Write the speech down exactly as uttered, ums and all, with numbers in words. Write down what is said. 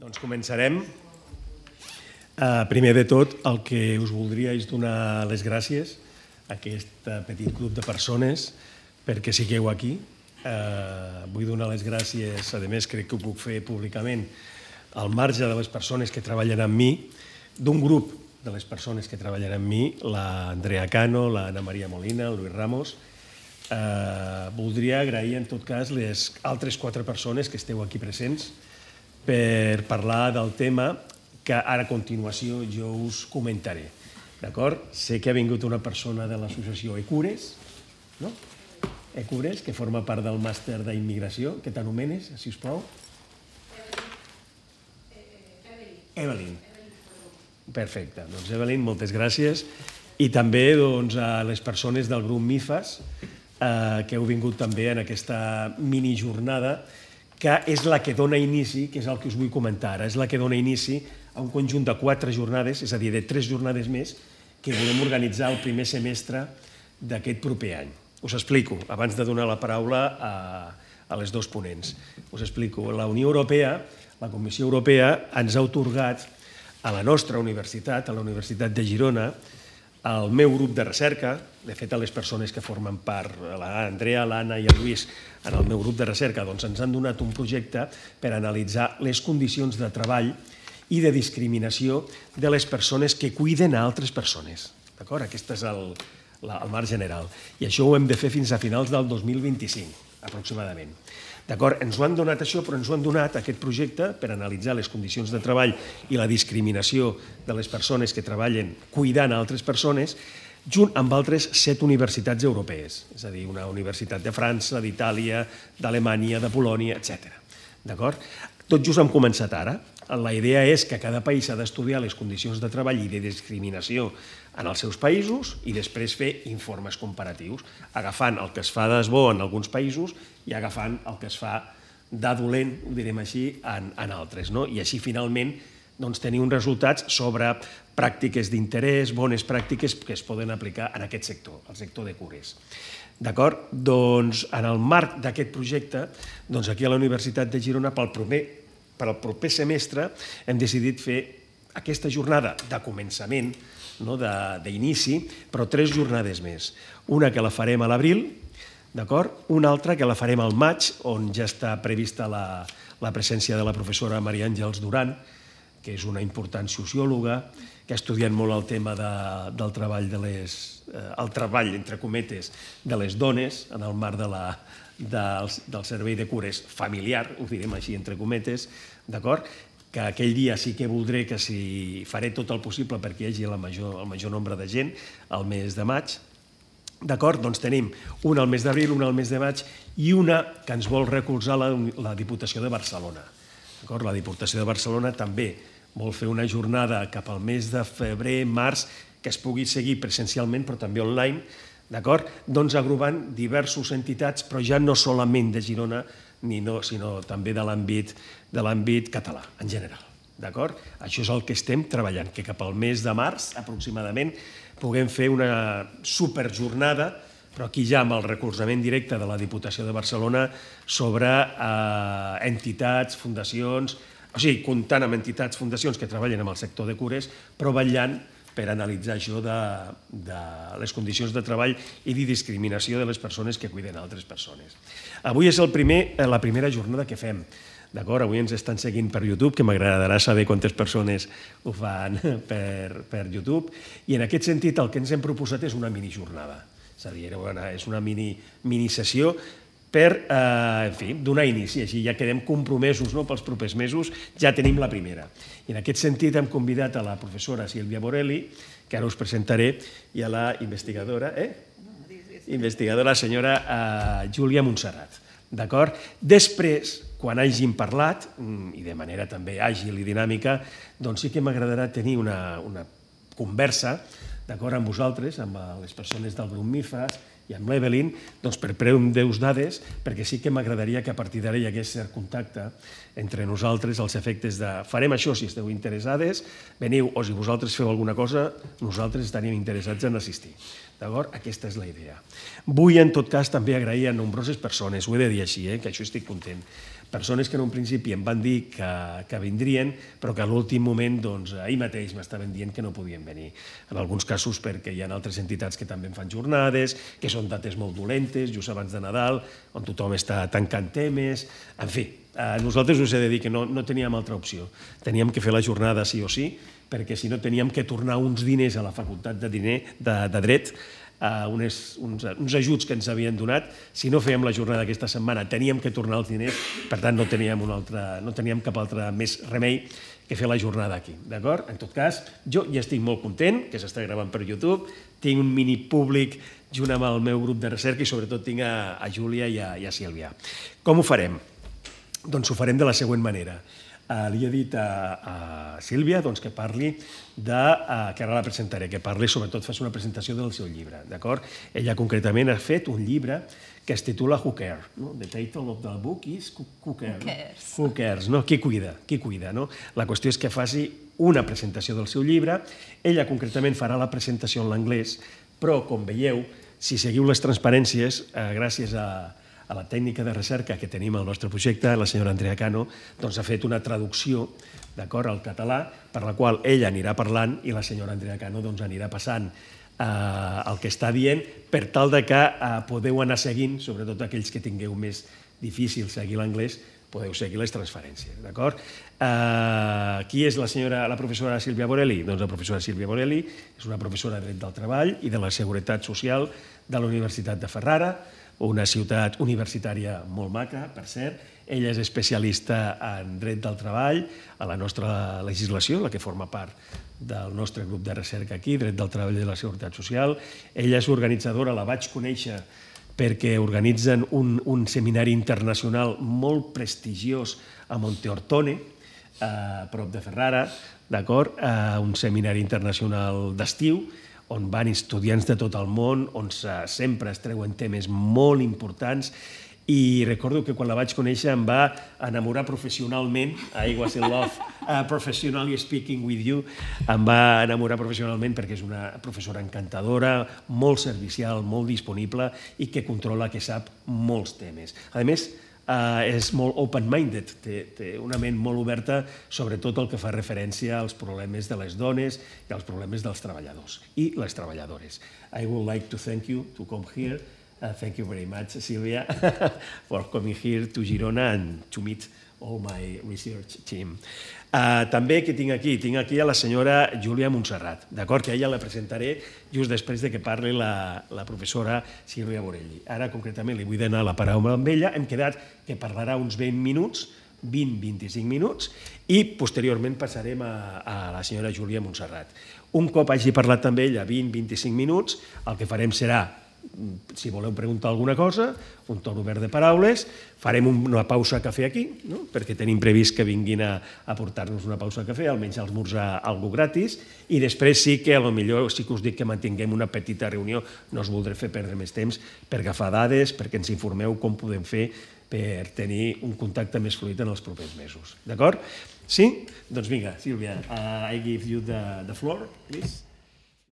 Doncs començarem. Primer de tot, el que us voldria és donar les gràcies a aquest petit grup de persones perquè sigueu aquí. Vull donar les gràcies, a més crec que ho puc fer públicament, al marge de les persones que treballen amb mi, d'un grup de les persones que treballen amb mi, l'Andrea Cano, l'Anna Maria Molina, el Luis Ramos. Voldria agrair en tot cas les altres quatre persones que esteu aquí presents per parlar del tema que ara a continuació jo us comentaré. D'acord? Sé que ha vingut una persona de l'associació Ecures, no? Ecures, que forma part del màster d'immigració. Què t'anomenes, si us plau? Evelyn. Perfecte. Doncs Evelyn, moltes gràcies. I també a les persones del grup MIFAS que heu vingut també en aquesta minijornada que és la que dona inici, que és el que us vull comentar ara, és la que dona inici a un conjunt de quatre jornades, és a dir, de tres jornades més, que volem organitzar el primer semestre d'aquest proper any. Us explico, abans de donar la paraula a les dos ponents. Us explico. La Unió Europea, la Comissió Europea, ens ha atorgat a la nostra universitat, a la Universitat de Girona, al meu grup de recerca, de fet a les persones que formen part, l'Andrea, l'Anna i el Lluís, en el meu grup de recerca, doncs ens han donat un projecte per analitzar les condicions de treball i de discriminació de les persones que cuiden a altres persones. D'acord? Aquest és el marc general. I això ho hem de fer fins a finals del dos mil vint-i-cinc, aproximadament. D'acord? Ens ho han donat això, però ens ho han donat aquest projecte per analitzar les condicions de treball i la discriminació de les persones que treballen cuidant a altres persones, junt amb altres set universitats europees, és a dir, una universitat de França, d'Itàlia, d'Alemanya, de Polònia, etcètera. D'acord? Tot just hem començat ara. La idea és que cada país ha d'estudiar les condicions de treball i de discriminació en els seus països i després fer informes comparatius, agafant el que es fa d'esbo en alguns països i agafant el que es fa de dolent, ho direm així, en altres. I així, finalment, tenir uns resultats sobre pràctiques d'interès, bones pràctiques que es poden aplicar en aquest sector, el sector de cures. D'acord? Doncs, en el marc d'aquest projecte, aquí a la Universitat de Girona, pel al proper semestre hem decidit fer aquesta jornada de començament, d'inici, però tres jornades més. Una que la farem a l'abril, una altra que la farem al maig, on ja està prevista la presència de la professora Maria Àngels Duran, que és una important sociòloga, que ha estudiat molt el tema del treball, el treball, entre cometes, de les dones en el marc de la del servei de cures familiar, ho direm així entre cometes, d'acord? Que aquell dia sí que voldré que si faré tot el possible perquè hi hagi el major nombre de gent al mes de maig. D'acord? Doncs tenim una al mes d'abril, una al mes de maig i una que ens vol recolzar la Diputació de Barcelona. D'acord? La Diputació de Barcelona també vol fer una jornada cap al mes de febrer, març, que es pugui seguir presencialment però també online, d'acord? Doncs agrupant diverses entitats, però ja no solament de Girona, sinó també de l'àmbit català, en general. D'acord? Això és el que estem treballant, que cap al mes de març, aproximadament, puguem fer una superjornada, però aquí ja amb el recolzament directe de la Diputació de Barcelona sobre entitats, fundacions, o sigui, comptant amb entitats, fundacions que treballen en el sector de cures, però vetllant per analitzar això de les condicions de treball i de discriminació de les persones que cuiden altres persones. Avui és la primera jornada que fem. D'acord? Avui ens estan seguint per YouTube, que m'agradarà saber quantes persones ho fan per YouTube. I en aquest sentit el que ens hem proposat és una minijornada. És a dir, és una minisessió per donar inici. Així ja quedem compromesos pels propers mesos, ja tenim la primera. I en aquest sentit hem convidat a la professora Sílvia Borelli, que ara us presentaré, i a la investigadora, investigadora senyora Júlia Montserrat. D'acord? Després, quan hàgim parlat, i de manera també àgil i dinàmica, doncs sí que m'agradarà tenir una conversa amb vosaltres, amb les persones del grup MIFAS, i amb l'Evelyn, per prendre-us dades, perquè sí que m'agradaria que a partir d'ara hi hagués cert contacte entre nosaltres, als efectes de farem això si esteu interessades, veniu, o si vosaltres feu alguna cosa, nosaltres estaríem interessats en assistir. D'acord? Aquesta és la idea. Vull, en tot cas, també agrair a nombroses persones, ho he de dir així, que això estic content. Persones que en un principi em van dir que, que vindrien, però que a l'últim moment, doncs, ahir mateix m'estaven dient que no podien venir. En alguns casos perquè hi ha altres entitats que també en fan jornades, que són dates molt dolentes, just abans de Nadal, on tothom està tancant temes... En fi, a nosaltres us he de dir que no, no teníem altra opció. Teníem que fer la jornada sí o sí, perquè si no teníem que tornar uns diners a la facultat de, diner, de, de dret, Uh, unes, uns, uns ajuts que ens havien donat. Si no fèiem la jornada aquesta setmana teníem que tornar els diners, per tant no teníem, una altra, no teníem cap altre més remei que fer la jornada aquí, d'acord? En tot cas, jo ja estic molt content, que s'està gravant per YouTube, tinc un mini públic junt amb el meu grup de recerca i sobretot tinc a, a Júlia i a, i a Sílvia. Com ho farem? Doncs ho farem de la següent manera. Uh, li he dit a, a Sílvia doncs, que parli de, uh, que ara la presentaré, que parli, sobretot faci una presentació del seu llibre, d'acord? Ella concretament ha fet un llibre que es titula Who Cares? No? The title of the book is Who, who Cares? Who Cares? Who Cares, no? Qui cuida? Qui cuida, no? La qüestió és que faci una presentació del seu llibre. Ella concretament farà la presentació en l'anglès, però, com veieu, si seguiu les transparències, uh, gràcies a a la tècnica de recerca que tenim al nostre projecte, la senyora Andrea Cano, doncs ha fet una traducció d'acord al català, per la qual ella anirà parlant i la senyora Andrea Cano doncs, anirà passant eh, el que està dient per tal de que eh, podeu anar seguint, sobretot aquells que tingueu més difícil seguir l'anglès, podeu seguir les transferències, d'acord? Eh, qui és la senyora, la professora Sílvia Borelli? Doncs la professora Sílvia Borelli és una professora de dret del treball i de la seguretat social de la Universitat de Ferrara, una ciutat universitària molt maca, per cert. Ella és especialista en dret del treball, a la nostra legislació, la que forma part del nostre grup de recerca aquí, dret del treball i de la seguretat social. Ella és organitzadora, la vaig conèixer perquè organitzen un, un seminari internacional molt prestigiós a Monteortone, a prop de Ferrara, d'acord? Un seminari internacional d'estiu, on van estudiants de tot el món, on sempre es treuen temes molt importants, i recordo que quan la vaig conèixer em va enamorar professionalment, I was in love uh, professionally speaking with you, em va enamorar professionalment perquè és una professora encantadora, molt servicial, molt disponible i que controla, que sap molts temes. A més, Uh, és molt open-minded, té, té una ment molt oberta sobre tot el que fa referència als problemes de les dones i als problemes dels treballadors i les treballadores. I would like to thank you to come here. Uh, thank you very much, Sílvia, for coming here to Girona and to meet all my research team. Uh, també que tinc aquí? Tinc aquí a la senyora Júlia Montserrat, d'acord? Que a ella la presentaré just després de que parli la, la professora Sílvia Borelli. Ara, concretament, li vull donar la paraula amb ella. Hem quedat que parlarà uns vint minuts, vint a vint-i-cinc minuts, i posteriorment passarem a, a la senyora Júlia Montserrat. Un cop hagi parlat amb ella vint a vint-i-cinc minuts, el que farem serà, si voleu preguntar alguna cosa, un torn obert de paraules, farem una pausa a cafè aquí, no? Perquè tenim previst que vinguin a, a portar-nos una pausa a cafè, almenys a esmorzar alguna gratis, i després sí que potser sí que us dic que mantinguem una petita reunió, no us voldré fer perdre més temps per agafar dades, perquè ens informeu com podem fer per tenir un contacte més fluid en els propers mesos. D'acord? Sí? Doncs vinga, Sílvia, uh, I give you the, the floor, please.